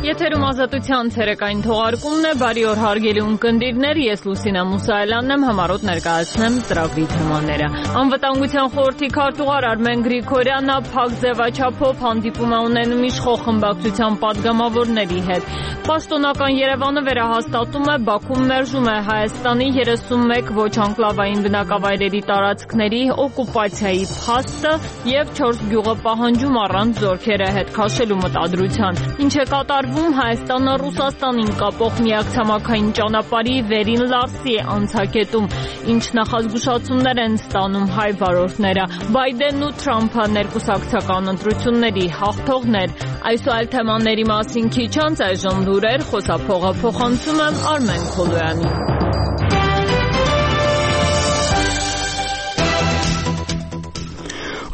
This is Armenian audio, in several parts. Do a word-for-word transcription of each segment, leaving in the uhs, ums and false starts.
Եթերում ազատության ցերեկային թողարկումն է, բարի օր հարգելի ունկնդիրներ, ես Լուսինա Մուսայելյանն եմ, համառոտ ներկայացնեմ ծրագրի թեմաները։ Անվտանգության խորհրդի քարտուղար Արմեն Գրիգորյանը փակ ձևաչափով հանդիպում է ունենում իշխող խմբակցության падգամավորների հետ։ Պաշտոնական Երևանը վերահաստատում է, Բաքուն մերժում է Հայաստանի երեսունմեկ ոչ անկլավային բնակավայրերի տարածքների օկուպացիայի փաստը եւ չորս գյուղը պահանջում առանց զորքերը հետ քաշելու մտադրության։ Ինչ է կատարվում Հայաստանը Ռուսաստանին կապող միակ ցամաքային ճանապարհի վերին Լարսի անցակետում, ինչ նախազգուշացումներ են ստանում հայ վարորդները։ Բայդենն ու Թրամփը ներկուսակցական ընտրությունների հաղթողներ։ Այս ու այլ թեմաների մասին քիչ անց այժմ լուրեր, խոսափողը փոխանցում եմ Արմեն Քոլոյանին։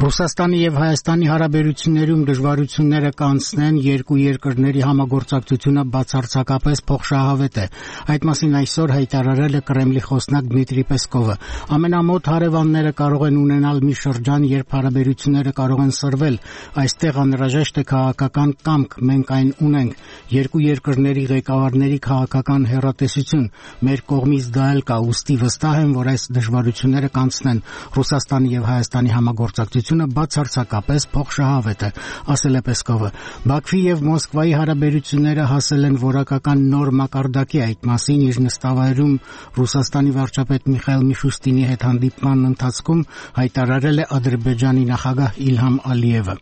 Ռուսաստանի եւ Հայաստանի հարաբերություններում դժվարությունները կանցնեն, երկու երկրների համագործակցությունը բացարձակապես փոխշահավետ է։ Այդ մասին այսօր հայտարարել է Կրեմլի խոսնակ Դմիտրի Պեսկովը։ Ամենամոտ հարևանները կարող են ունենալ մի շրջան, երբ հարաբերությունները կարող են սրվել։ Այստեղ անհրաժեշտ է քաղաքական կամք, մենք այն ունենք։ Երկու երկրների ղեկավարների քաղաքական հեռատեսություն։ Մեր կողմից դա էլ կա, ուստի վստահ եմ, որ այս դժվարությունները կանցնեն։ Ռուսաստանի եւ Հայաստանի համագործակցությունը բացարձակապես փոխշահավետ է, ասել է Պեսկովը։ Բաքվի եւ Մոսկվայի հարաբերությունները հասել են որակական նոր մակարդակի, այդ մասին իր նստավայրում Ռուսաստանի վարչապետ Միխայիլ Միշուստինի հետ հանդիպման ընթացքում հայտարարել է Ադրբեջանի նախագահ Իլհամ Ալիևը։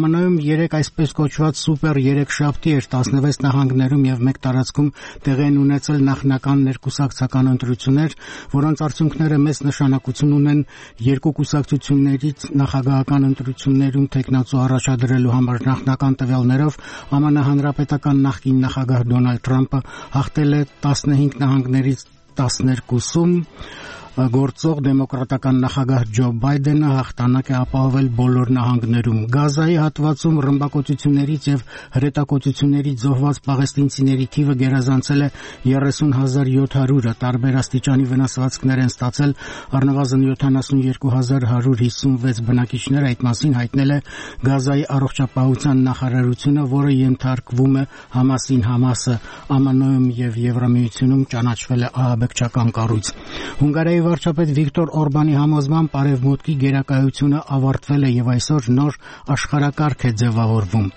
ԱՄՆ-ում երեք այսպես կոչված սուպեր երեքշաբթի էր տասնվեց նահանգներում եւ մեկ տարածքում տեղի են ունեցել նախնական ներկուսակցական ընտրություններ, որոնց արդյունքները մեծ նշանակություն ունեն երկու կուսակցություններից նախագահական ընտրություններում տեխնացու առաջադրելու համար։ Նախնական տվյալներով ԱՄՆ հանրապետական նախկին նախագահ Դոնալդ Թրամփը հաղթել է տասնհինգ նահանգներից տասներկուսում, գործող դեմոկրատական նախագահ Ջո Բայդենը հաղթանակ է ապահովել բոլոր նահանգներում։ Գազայի հատվածում ռմբակոծություններից եւ հրետակոծություններից զոհված պաղեստինցիների թիվը գերազանցել է երեսուն հազար յոթ հարյուրը, տարբեր աստիճանի վնասվածքներ են ստացել առնվազն յոթանասունյոթ հազար հարյուր հիսունվեց բնակիչներ, այդ մասին հայտնել է Գազայի առողջապահության նախարարությունը, որը ենթարկվում է Համասին։ Համասը ԱՄՆ-ում եւ Եվրամիությունում ճանաչվել է ահաբեկչական կառույց։ Հունգարիայի վարչապետ Վիկտոր Օրբանի համոզմամբ արևմուտքի գերակայությունը ավարտվել է եւ այսօր նոր աշխարհակարգ է ձևավորվում։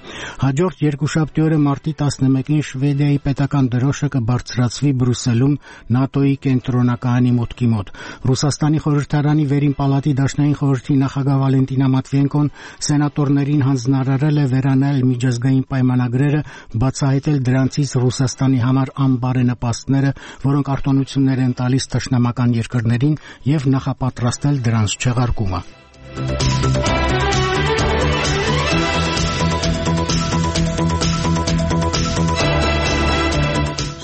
Հաջորդ երկուշաբթի օրը մարտի տասնմեկին Շվեդիայի պետական դրոշը կբարձրացվի Բրյուսելում ՆԱՏՕ-ի կենտրոնակայանի մուտքի մոտ։ Ռուսաստանի խորհրդարանի վերին պալատի դաշնային խորհրդի նախագահ Վալենտինա Մատվիենկոն սենատորներին հանձնարարել է վերանել միջազգային պայմանագրերը, բացահայտել դրանցից Ռուսաստանի համար անբարենպաստները, որոնք արտոնություններ են տալիս թշնամական երկրներին եւ նախապատրաստել դրանց չեղարկումը։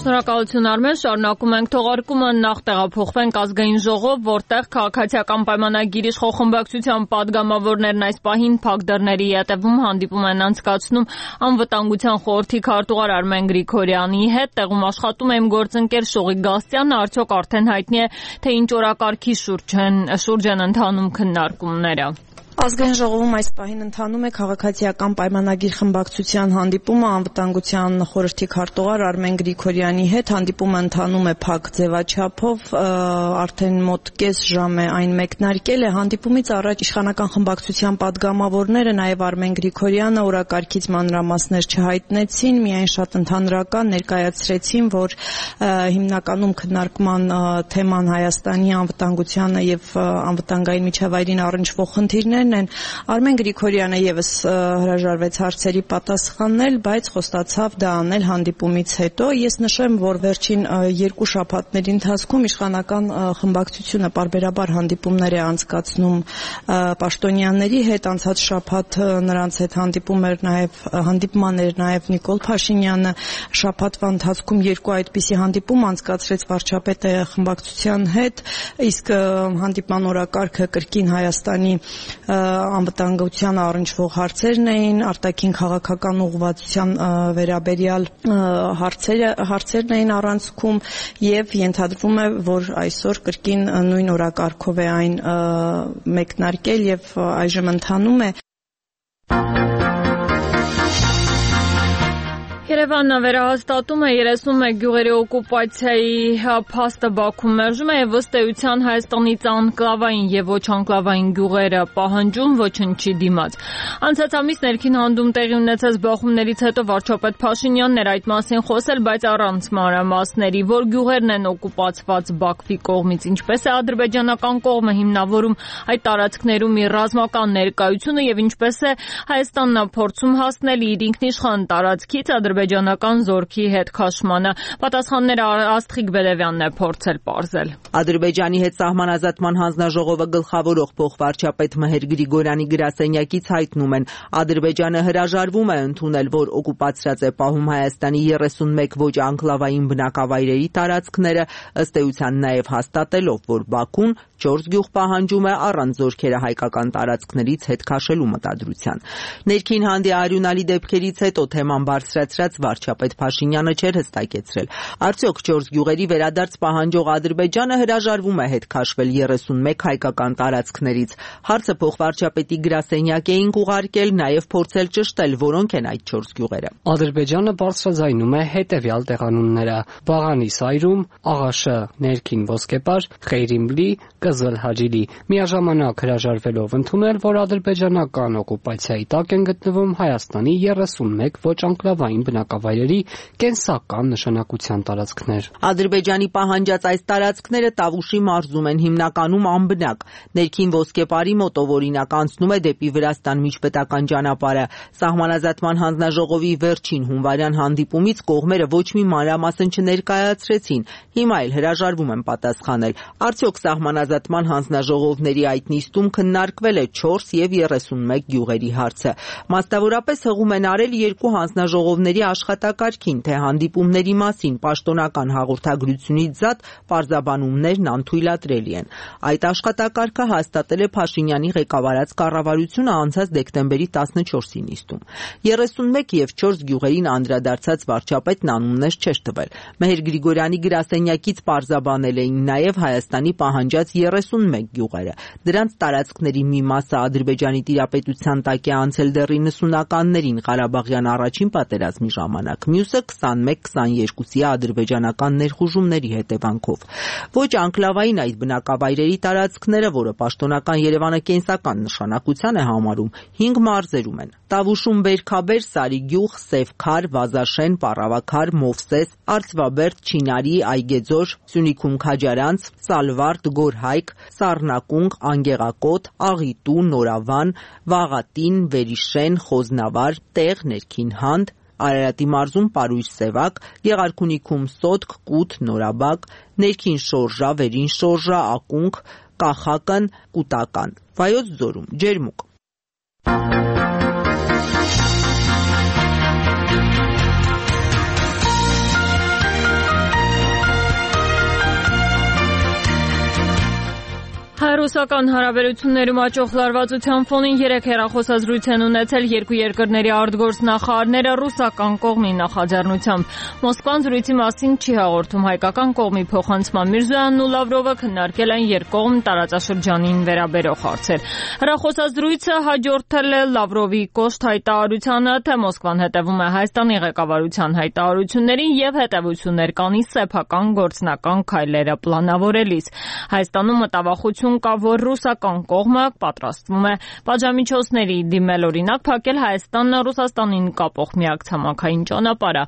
Շնորհակալություն Արմեն, շարունակում ենք թողարկումը, նախ տեղափոխվենք ազգային ժողով, որտեղ քաղաքացիական պայմանագիր իշխող խմբակցության падգամավորներն այս պահին փակ դռների ետևում հանդիպում են անցկացնում անվտանգության խորհրդի քարտուղար Արմեն Գրիգորյանի հետ, տեղում աշխատում է իմ գործընկեր Շողիկ Գաստրյանը, արդյոք արդեն հայտնի է, թե ինչ օրակարգի շուրջ են, շուրջ են ընթանում քննարկումները։ Ազգային ժողովում այս պահին ընթանում է քաղաքացիական պայմանագիր խմբակցության հանդիպումը անվտանգության խորհրդի քարտուղար Արմեն Գրիգորյանի հետ։ Հանդիպումը ընթանում է փակ ձևաչափով, արդեն մոտ կես ժամ է այն մեկնարկել է։ Հանդիպումից առաջ իշխանական խմբակցության падգամավորները, նաև Արմեն Գրիգորյանը օրակարգից մանրամասներ չհայտնեցին, միայն շատ ընդհանրական ներկայացրեցին, որ հիմնականում քննարկման թեման Հայաստանի անվտանգությանը եւ անվտանգային միջավայրին առնչվող խնդիրներ են։ Արմեն Գրիգորյանը եւս հրաժարվեց հարցերի պատասխանել, բայց խոստացավ դա անել հանդիպումից հետո։ Ես նշեմ, որ վերջին երկու շաբաթների ընթացքում իշխանական խմբակցությունը պարբերաբար հանդիպումներ է անցկացնում պաշտոնյաների հետ։ Անցած շաբաթ նրանց հետ հանդիպում էր նաեւ հանդիպման էր նաեւ Նիկոլ Փաշինյանը։ Շաբաթվա ընթացքում երկու այդպիսի հանդիպում անցկացրեց վարչապետը խմբակցության հետ, իսկ հանդիպման օրակարգը կրկին Հայաստանի անվտանգությանը առնչվող հարցերն էին, արտաքին քաղաքական ուղղվածության վերաբերյալ հարցերը հարցերն էին առանցքում եւ ենթադրվում է, որ այսօր կրկին նույն օրակարգով է այն մեկնարկել եւ այժմ ընթանում է։ Երևանը վերահաստատում է երեսունմեկ գյուղերի օկուպացիայի փաստը Բաքվում մերժում է եւ ըստ էության Հայաստանից անկլավային եւ ոչ անկլավային գյուղերը պահանջում ոչնչի դիմաց։ Անցած ամիս ներքին հանդում տեղի ունեցած բախումներից հետո վարչապետ Փաշինյանն էր այդ մասին խոսել, բայց առանց մանրամասների, որ գյուղերն են օկուպացված Բաքվի կողմից, ինչպես է ադրբեջանական կողմը հիմնավորում այդ տարածքներում իր ռազմական ներկայությունը եւ ինչպես է Հայաստանն փորձում հասնել իր ինքնիշխան տարածքից ադրբեջանական զորքի հետ քաշմանը։ Պատասխանները Աստղիկ Բերևյանն է փորձել պարզել։ Ադրբեջանի հետ սահմանազատման հանձնաժողովը գլխավորող փոխվարչապետ Մհեր Գրիգորյանի գրասենյակից հայտնում են, Ադրբեջանը հրաժարվում է ընդունել, որ օկուպացրած է պահում Հայաստանի երեսունմեկ ոչ անկլավային բնակավայրերի տարածքները, ըստ էության նաև հաստատելով, որ Բաքուն չորս գյուղ պահանջում է առանց զորքերը հայկական տարածքներից հետ քաշելու մտադրության։ Ներքին հանդի արյունալի դեպքերից հետո թեման բարձրացրած վարչապետ Փաշինյանը չէր հստակեցրել, արդյոք չորս գյուղերի վերադարձ պահանջող Ադրբեջանը հրաժարվում է հետ քաշվել երեսունմեկ հայկական տարածքներից։ Հարցը փոխվարչապետի գրասենյակ էինք ուղարկել, նաև փորձել ճշտել, որոնք են այդ չորս գյուղերը։ Ադրբեջանը բարձրաձայնում է հետևյալ տեղանունները՝ Բաղանի Սայրում, Աղաշը ներքին ոսկեպար, Խեյրիմլի, Կզլ Հաջիլի, միաժամանակ հրաժարվելով ընդունել, որ ադրբեջանական օկուպացիայի տակ են գտնվում Հայաստանի երեսունմեկ ոչ անկլավային բնակավայրերի կենսական նշանակության տարածքներ։ Ադրբեջանի պահանջած այս տարածքները Տավուշի մարզում են, հիմնականում անբնակ։ Ներքին ոսկեպարի մոտով օրինակ անցնում է դեպի Վրաստան միջպետական ճանապարհը։ Սահմանազատման հանձնաժողովի վերջին հունվարյան հանդիպումից կողմերը ոչ մի մանրամասն չներկայացրեցին, հիմա էլ հրաժարվում են պատասխանել։ Արդյոք սահմանազատման հանձնաժողովների այդ նիստում քննարկվել է չորս եւ երեսունմեկ գյուղերի հարցը։ Մասնավորապես հղում են արել երկու հանձնաժողովների աշխատակարգին, թե հանդիպումների մասին պաշտոնական հաղորդագրությունից զատ պարզաբանումներն անթույլատրելի են։ Այդ աշխատակարգը հաստատել է Փաշինյանի ղեկավարած կառավարությունը անցած դեկտեմբերի տասնչորսի նիստում։ երեսունմեկ եւ չորս գյուղերին անդրադարձած վարչապետն անուններ չէր տվել։ Մհեր Գրիգորյանի գրասենյակից պարզաբանել էին նաև Հայաստանի պահանջած երեսունմեկ գյուղերը։ Դրանց տարածքների մի մասը Ադրբեջանի տիրապետության տակ է անցել դեռ իննսունականներին Ղարաբաղյան առաջին պատերազմի ժամանակ, մյուսը քսանմեկ քսաներկուսի ադրբեջանական ներխուժումների հետևանքով։ Ոչ անկլավային այդ բնակավայրերի տարածքները, որը պաշտոնական Երևանը կենսական նշանակության է համարում, հինգ մարզերում են։ Տավուշում Բերքաբեր, Սարիգյուղ, Սևքար, Վազաշեն, Պառավաքար, Մովսես, Արծվաբերդ, Չինարի, Այգեձոր, Սյունիքում Քաջարանց, Սալվարդ, Գորհայք, Սառնակունք, Անգեղակոտ, Աղիտու, Նորավան, Վաղատին, Վերիշեն, Խոզնավար, Տեղ, Ներքին Հանդ, Արարատի մարզում Պարույր Սևակ, Գեղարքունիքում Սոտք, Կութ, Նորաբակ, Ներքին Շորժա, Վերին Շորժա, Ակունք, Կախակն, Կուտական, Վայոց ձորում Ջերմուկ։ Հայ-ռուսական հարաբերություններում աճող լարվածության ֆոնին երեք հեռախոսազրույց են ունեցել երկու երկրների արտգործնախարարները ռուսական կողմի նախաձեռնությամբ։ Մոսկվան զրույցի մասին չի հաղորդում, հայկական կողմի փոխանցման Միրզոյանն ու Լավրովը քննարկել են երկկողմ տարածաշրջանին վերաբերող հարցեր։ Հեռախոսազրույցը հաջորդել է Լավրովի կոշտ հայտարարությանը, թե Մոսկվան հետևում է Հայաստանի ղեկավարության հայտարարություններին եւ հետեւություններ կանի սեփական գործնական քայլերը պլանավորելիս։ Հայաստանում մտավախություն կա, որ ռուսական կողմը պատրաստվում է պատժամիջոցների դիմել, օրինակ փակել Հայաստանն Ռուսաստանին կապող միակ ցամաքային ճանապարհը։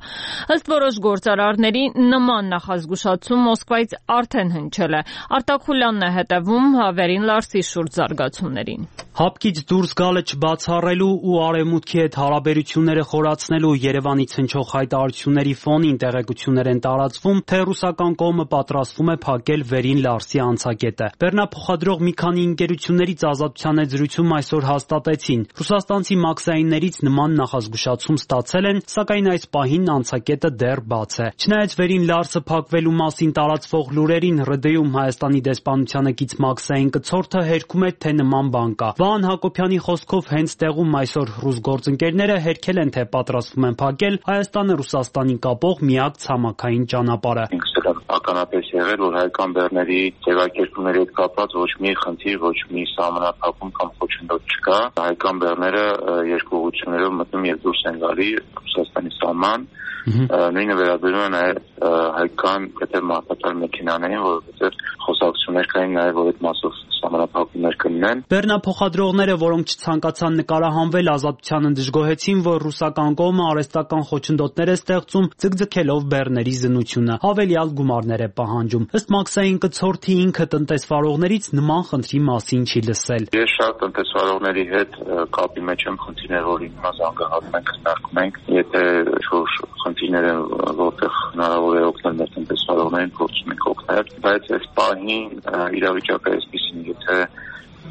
Ըստ որոշ գործարարների նման նախազգուշացում Մոսկվայից արդեն հնչել է։ Արտակ Խուլյանն է հետևում Վերին Լարսի շուրջ զարգացումներին։ Հապկից դուրս գալը չբացառելու ու արևմուտքի հետ հարաբերությունները խորացնելու Երևանից հնչող հայտարարությունների ֆոնին տեղեկություններ են տարածվում, թե ռուսական կողմը պատրաստվում է փակել Վերին Լարսի անցակետը։ Բեռնափոխադրող մի քանի ընկերություններից Ազատության հետ զրույցում այսօր հաստատեցին, ռուսաստանցի մաքսայիններից նման նախազգուշացում ստացել են, սակայն այս պահին անցակետը դեռ բաց է։ Չնայած Վերին Լարսը փակվելու մասին տարածվող լուրերին ՌԴ-ում Հայաստանի դեսպանությանը կից մաքսային կցորդը հերքում է, թե նման բան կա։ Վահան Հակոբյանի խոսքով հենց տեղում այսօր ռուս գործընկերները հերքել են, թե պատրաստվում են փակել Հայաստանը Ռուսաստանին կապող միակ ցամաքային ճանապարհը։ ուրեմն ականապես եղել, որ հայկական բեռների ձևակերպումների հետ կապված ոչ մի խնդիր, ոչ մի սահմանափակում կամ խոչընդոտ չկա։ Հայկական բեռները երկու ուղղություններով մտնում եւ դուրս են գալի Ռուսաստանի սահման։ Նույնը վերաբերում է նաև հայկական կտեր մարդատար մեքենաներին, որովհետև խոսակցություններ կային նաև, որ այդ մասով սահմանափակումներ կլինեն։ Բեռնափոխադրողները, որոնք չցանկացան նկարահանվել, Ազատությանը դժգոհեցին, որ ռուսական կողմը արհեստական խոչընդոտներ է ստեղծում, ձգձգելով բեռների զննությունը, հավելյալ գումարներ է պահանջում։ Ըստ Մաքսային Կցորդի ինքը տնտեսվարողներից նման խնդրի մասին չի լսել։ Ես շատ տնտեսվարողների հետ կապի մեջ եմ, խնդիրներ, որ հիմա զանգահարում ենք, քննարկում ենք, եթե ինչ-որ խնդիրներ են, որտեղ հնարավոր է օգնել մեր տնտեսվարողներին, փորձում ենք օգնել, բայց այս պահին իրավիճակը այսպիսին, եթե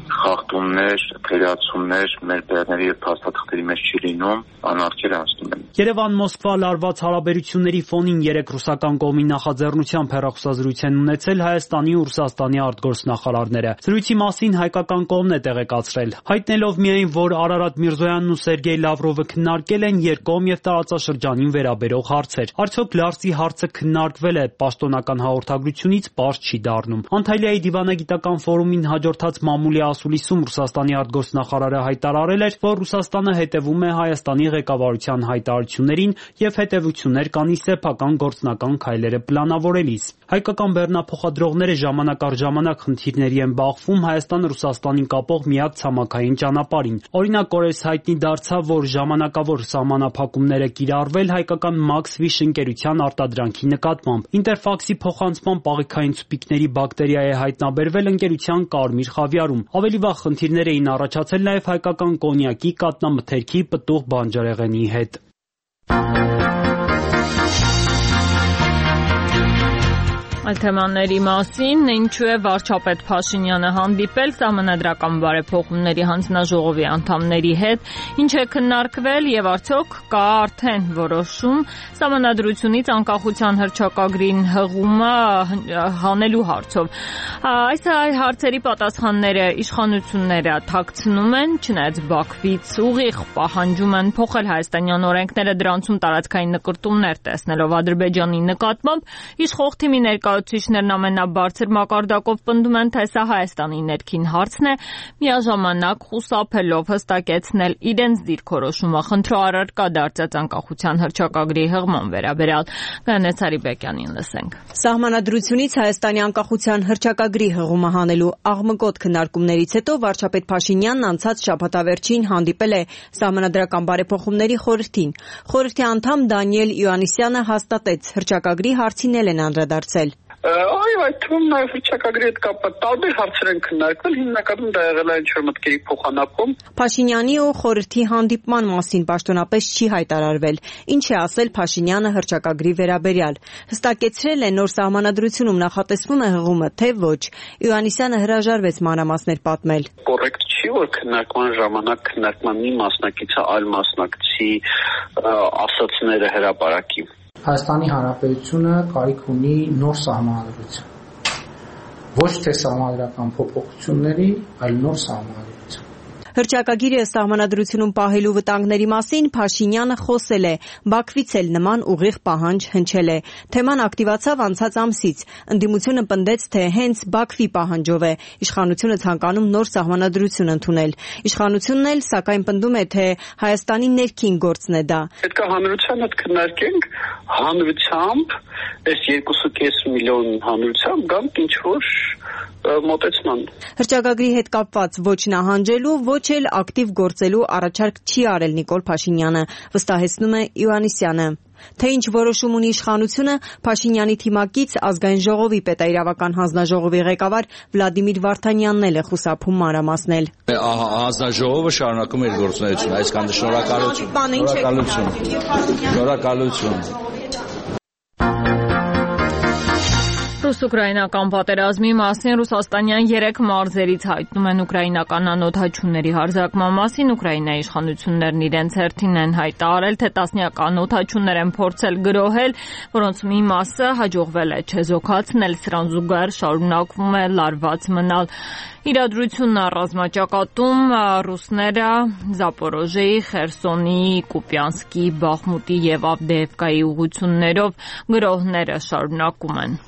խախտումներ, թերացումներ մեր բեռների եւ փաստաթղթերի մեջ չի լինում, անարգել անցնում են։ Երևան-Մոսկվա լարված հարաբերությունների ֆոնին երեք ռուսական կողմի նախաձեռնությամբ հեռախոսազրույց են ունեցել Հայաստանի ու Ռուսաստանի արտգործնախարարները։ Զրույցի մասին հայկական կողմն է տեղեկացրել, հայտնելով միայն, որ Արարատ Միրզոյանն ու Սերգեյ Լավրովը քննարկել են երկկողմ եւ տարածաշրջանին վերաբերող հարցեր։ Արդյոք Լարսի հարցը քննարկվել է, պաշտոնական հաղորդագրությունից պարզ չի դառնում։ Անտալիայի դիվանագիտական ֆորումին հաջորդած մամուլի ասուլիսում Ռուսաստանի արտգործնախարարը հայտարարել էր, որ Ռուսաստանը հետևում է Հայաստանի ղեկավարության հայտարարություններին եւ հետեւություններ կանի սեփական գործնական քայլերը պլանավորելիս։ Հայկական բեռնափոխադրողները ժամանակ առ ժամանակ խնդիրների են բախվում Հայաստան-Ռուսաստանին կապող միակ ցամաքային ճանապարհին։ Օրինակ օրերս հայտնի դարձավ, որ ժամանակավոր սահմանափակումներ է կիրառվել հայկական Maxfish ընկերության արտադրանքի նկատմամբ։ Ինտերֆաքսի փոխանցման պաղեքային ցուպիկների բակտերիա է հայտնաբերվել ընկերության Կարմիր խավիարում։ Ավելի վաղ խնդիրներ էին առաջացել նաև հայկական կոնյակի, կատնամթերքի, պտուղ բանջարեղենի հետ։ Այդ թեմաների մասին ինչու է վարչապետ Փաշինյանը հանդիպել սահմանադրական բարեփոխումների հանձնաժողովի անդամների հետ, ինչ է քննարկվել եւ արդյոք կա արդեն որոշում սահմանադրությունից անկախության հռչակագրին հղումը հանելու հարցով։ Այս հարցերի պատասխանները իշխանությունները թաքցնում են, չնայած Բաքվից ուղիղ պահանջում են փոխել հայաստանյան օրենքները, դրանցում տարածքային նկրտումներ տեսնելով Ադրբեջանի նկատմամբ, իշխող թիմի ներկայ Ուսուցիչներն ամենաբարձր մակարդակով պնդում են, թե սա Հայաստանի ներքին հարցն է, միաժամանակ խուսափելով հստակեցնել իրենց դիրքորոշումը խնդրո առարկա դարձած անկախության հռչակագրի հղման վերաբերյալ։ Գայանե Ցարիբեկյանին լսենք։ Սահմանադրությունից Հայաստանի անկախության հռչակագրի հղումը հանելու աղմկոտ քննարկումներից հետո վարչապետ Փաշինյանն անցած շաբաթավերջին հանդիպել է Սահմանադրական բարեփոխումների խորհրդին։ Խորհրդի անդամ Դանիել Իոաննիսյանը հաստատեց, հռչակագրի հարցին են անդրադարձել։ Այո, այդ թվում նաև հռչակագրի հետ կապված տարբեր հարցեր են քննարկվել, հիմնականում դա եղել է ինչ-որ մտքերի փոխանակում։ Փաշինյանի ու խորհրդի հանդիպման մասին պաշտոնապես չի հայտարարվել, ինչ է ասել Փաշինյանը հռչակագրի վերաբերյալ։ Հստակեցրել է նոր սահմանադրությունում նախատեսվում է հղումը, թե ոչ։ Իոաննիսյանը հրաժարվեց մանրամասներ պատմել։ Կոռեկտ չի, որ քննարկման ժամանակ քննարկման մի մասնակիցը այլ մասնակցի ասացները հրապարակի։ Հայաստանի Հանրապետությունը կարիք ունի նոր սահմանադրություն։ Ոչ թե սահմանադրական փոփոխությունների, այլ նոր սահմանադրություն։ Հռչակագիրը սահմանադրությունում պահելու վտանգների մասին Փաշինյանը խոսել է, Բաքվից էլ նման ուղիղ պահանջ հնչել է։ Թեման ակտիվացավ անցած ամսից։ Ընդդիմությունը պնդեց, թե հենց Բաքվի պահանջով է իշխանությունը ցանկանում նոր սահմանադրություն ընդունել։ Իշխանությունն էլ սակայն պնդում է, թե Հայաստանի ներքին գործն է դա։ Պետք է հանրության հետ քննարկենք, հանրությամբ, այս երկու կես միլիոն հանրությամբ գանք ինչ-որ մոտեցման։ Հռչակագրի հետ կապված ոչ նահանջելու, ոչ էլ ակտիվ գործելու առաջարկ չի արել Նիկոլ Փաշինյանը, վստահեցնում է Իոաննիսյանը։ Թե ինչ որոշում ունի իշխանությունը, Փաշինյանի թիմակից Ազգային ժողովի պետաիրավական հանձնաժողովի ղեկավար Վլադիմիր Վարդանյանն էլ է խուսափում մանրամասնել։ Հանձնաժողովը շարունակում է իր գործունեությունը, այսքան շնորհակալություն։ Շնորհակալություն։ Շնորհակալություն։ Ռուս-ուկրաինական պատերազմի մասին ռուսաստանյան երեք մարզերից հայտնում են ուկրաինական անօդաչուների հարձակման մասին. Ուկրաինայի իշխանություններն իրենց հերթին են հայտարարել, թե տասնյակ անօդաչուներ են փորձել գրոհել, որոնց մի մասը հաջողվել է չեզոքացնել. սրան զուգահեռ շարունակվում է լարված մնալ իրադրությունն ռազմաճակատում. ռուսները Զապորոժեի, Խերսոնի, Կուպյանսկի, Բախմուտի եւ Ավդեևկայի ուղղություններով գրոհները շարունակում են.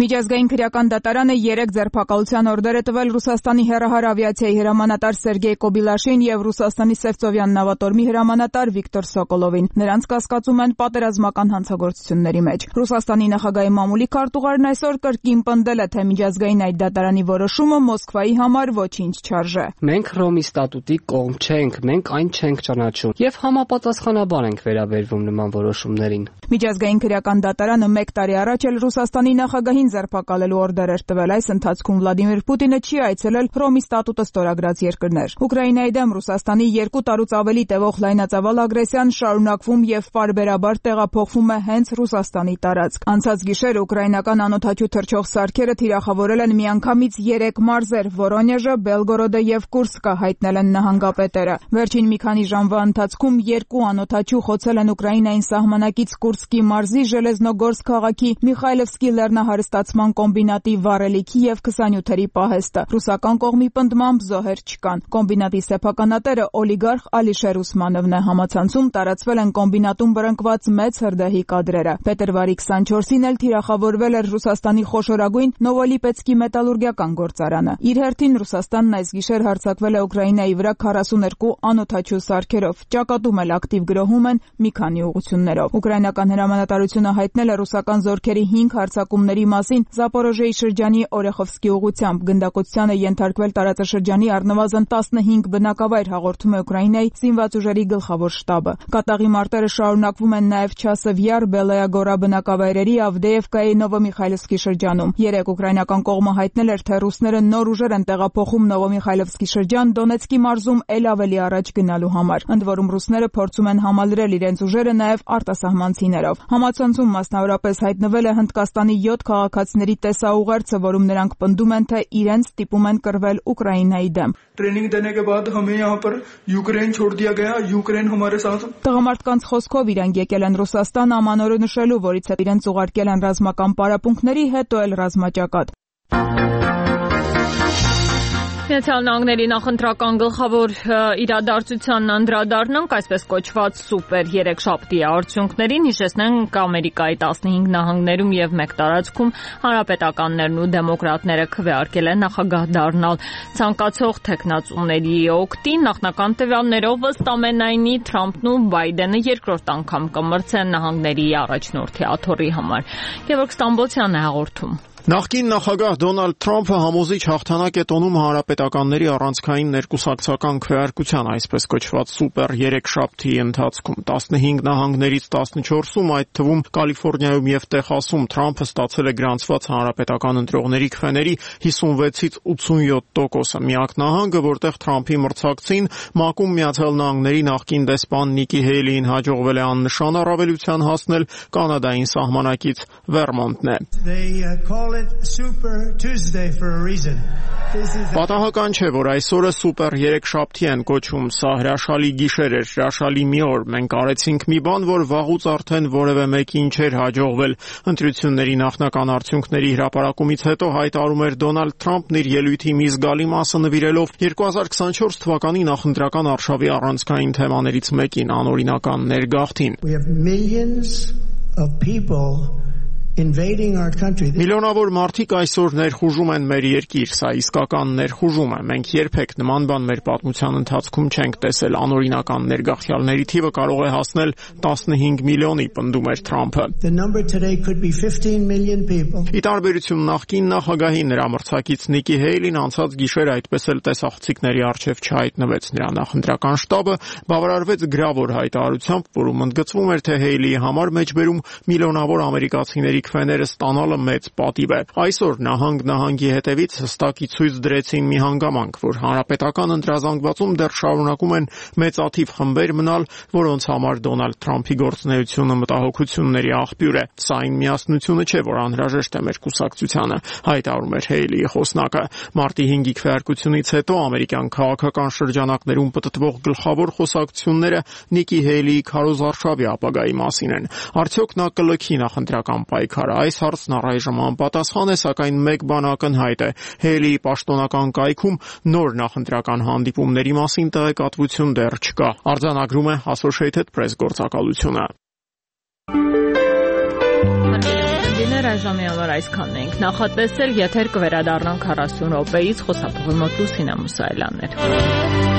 Միջազգային քրեական դատարանը երեք ձերբակալության օրդեր է տվել Ռուսաստանի հեռահար ավիացիայի հրամանատար Սերգեյ Կոբիլաշին եւ Ռուսաստանի Սևծովյան նավատորմի հրամանատար Վիկտոր Սոկոլովին. Նրանց կասկածում են պատերազմական հանցագործությունների մեջ։ Ռուսաստանի նախագահի մամուլի քարտուղարն այսօր կրկին պնդել է, թե միջազգային այդ դատարանի որոշումը Մոսկվայի համար ոչինչ չարժե։ Մենք Ռոմի ստատուտի կողմ չենք, մենք այն չենք ճանաչում եւ համապատասխանաբար ենք վերաբերվում նման որոշումներին։ Միջազգային քրեական դատարանը մեկ տարի առաջ էլ Ռուսաստանի նախագահին ձերբակալելու օրդեր էր տվել։ Այս ընթացքում Վլադիմիր Պուտինը չի այցելել Ռոմի ստատուտը ստորագրած երկրներ։ Ուկրաինայի դեմ Ռուսաստանի երկու տարուց ավելի տևող լայնածավալ ագրեսիան շարունակվում եւ պարբերաբար տեղափոխվում է հենց Ռուսաստանի տարածք։ Անցած գիշեր ուկրաինական անօդաչու թռչող սարքերը թիրախավորել են միանգամից երեք մարզեր՝ Վորոնեժը, Բելգորոդը եւ Կուրսկը, հայտնել են նահանգապետերը։ Վերջին մի քանի ժամվա ընթացքում երկու անօդաչու խոցել են Ուկրաինային սահմանակից Կուրսկի մարզի Ժելեզնոգորսկ քաղաքի Միխայլովսկի լեռնահարստացման կոմբինատի վառելիքի եւ քսանյոթերի պահեստը։ Ռուսական կողմի պնդմամբ զոհեր չկան։ Կոմբինատի սեփականատերը օլիգարխ Ալիշեր Ուսմանովն է։ Համացանցում տարածվել են կոմբինատում բռնկված մեծ հրդեհի կադրերը։ Փետրվարի քսանչորսին էլ թիրախավորվել էր Ռուսաստանի խոշորագույն Նովոլիպեցկի մետալուրգիական գործարանը։ Իր հերթին Ռուսաստանն այս գիշեր հարձակվել է Ուկրաինայի վրա քառասուներկու անօդաչու սարքերով։ Ճակատում էլ ակտիվ գրոհում են մի քանի ուղղություններով։ Ուկրաինական հրամանատարությունը հայտնել է ռուսական զորքերի հինգ հարձակումների մասին Զապորոժեի շրջանի Օրեխովսկի ուղղությամբ։ Գնդակոծությանը ենթարկվել տարածաշրջանի առնվազն տասնհինգ բնակավայր, հաղորդում է Ուկրաինայի զինված ուժերի գլխավոր շտաբը։ Կատաղի մարտերը շարունակվում են նաև Չասովյար, Բելոյագորա բնակավայրերի, Ավդեևկայի, Նովոմիխայլովսկի շրջանում։ Երեք ուկրաինական կողմը հայտնել էր, թե ռուսները նոր ուժեր են տեղափոխում Նովոմիխայլովսկի շրջան Դոնեցկի մարզում էլ ավելի առաջ գնալու համար։ Ընդ որում ռուսները փորձում են համալրել իրենց ուժերը նաև արտասահմանցիներով։ Համացանցում մասնավորապես հայտնվել է Հնդկաստանի յոթ քաղաքացիների տեսաուղերձը, որում նրանք պնդում են, թե իրենց ստիպում են կռվել Ուկրաինայի դեմ։ Տղամարդկանց խոսքով իրանք եկել են Ռուսաստան ամանորը նշելու, որից հետո իրենց ուղարկել են ռազմական պարապմունքների, հետո էլ ռազմաճակատ։ Միացյալ Նահանգների նախընտրական գլխավոր իրադարձությանն անդրադառնանք, այսպես կոչված սուպեր երեքշաբթի արդյունքներին, հիշեցնենք Ամերիկայի տասնհինգ նահանգներում եւ մեկ տարածքում հանրապետականներն ու դեմոկրատները քվեարկել են նախագահ դառնալ ցանկացող թեկնածուների օգտին։ Նախնական տվյալներով ըստ ամենայնի Թրամփն ու Բայդենը երկրորդ անգամ կմրցեն նահանգների առաջնորդի աթոռի համար։ Գևորգ Ստամբոլցյանն է հաղորդում։ Նախկին նախագահ Դոնալդ Թրամփը համոզիչ հաղթանակ է տոնում հանրապետականների առանցքային ներկուսակցական քվեարկության, այսպես կոչված սուպեր երեքշաբթի ընթացքում։ տասնհինգ նահանգներից տասնչորսում, այդ թվում Կալիֆոռնիայում եւ Տեխասում Թրամփը ստացել է գրանցված հանրապետական ընտրողների քվեների հիսունվեցից ութսունյոթ տոկոսը։ Միակ նահանգը, որտեղ Թրամփի մրցակցին ՄԱԿ-ում Միացյալ Նահանգների նախկին դեսպան Նիկի Հեյլիին հաջողվել է աննշան առավելության հասնել Կանադային սահմանակից Վերմոնտն է։ Պատահական չէ, որ այսօրը սուպեր երեքշաբթի են կոչում։ Սա հրաշալի գիշեր էր, հրաշալի մի օր։ Մենք արեցինք մի բան, որ վաղուց արդեն որևէ մեկին չէր հաջողվել։ Ընտրությունների նախնական արդյունքների հրապարակումից հետո հայտարարում էր Դոնալդ Թրամփն իր ելույթի մի զգալի մասը նվիրելով երկու հազար քսանչորս թվականի նախընտրական արշավի առանցքային թեմաներից մեկին՝ անօրինական ներգաղթին։ Միլիոնավոր մարդիկ այսօր ներխուժում են մեր երկիր, սա իսկական ներխուժում է։ Մենք երբեք նման բան մեր պատմության ընթացքում չենք տեսել։ Անօրինական ներգաղթյալների թիվը կարող է հասնել տասնհինգ միլիոնի, պնդում էր Թրամփը։ Ի տարբերություն նախկին նախագահի, նրա մրցակից Նիկի Հեյլին անցած գիշեր այդպես էլ տեսախցիկների առջև չհայտնվեց։ Նրա նախընտրական շտաբը բավարարվեց գրավոր հայտարարությամբ, որում ընդգծվում էր, թե Հեյլիի համար մեջբերում միլիոնավոր ամերիկացիների գլխավորի քվեները ստանալը մեծ պատիվ է։ Այսօր նահանգ նահանգի հետևից հստակի ցույց դրեցին մի հանգամանք, որ հանրապետական ընտրազանգվածում դեռ շարունակում են մեծաթիվ խմբեր մնալ, որոնց համար Դոնալդ Թրամփի գործունեությունը մտահոգությունների աղբյուր է։ Սա այն միասնությունը չէ, որ անհրաժեշտ է մեր կուսակցությանը, հայտարարում էր Հեյլիի խոսնակը։ Մարտի հինգի քվեարկությունից հետո ամերիկյան քաղաքական շրջանակներում պտտվող գլխավոր խոսակցությունները Նիկի Հեյլիի քարոզարշավի ապագայի մասին են։ Արդյոք նա կլքի նախընտրական պայքարը։ Այս հարցն առայժմ անպատասխան է, սակայն մեկ բան ակնհայտ է. Հեյլիի պաշտոնական կայքում նոր նախընտրական հանդիպումների մասին տեղեկատվություն դեռ չկա։ Արձանագրում է Associated Press գործակալությունը։ Այժմի համար այսքանն ենք նախատեսել, եթեր կվերադառնանք քառասուն րոպեից, խոսափողի մոտ Լուսինա Մուսայելյանն էր։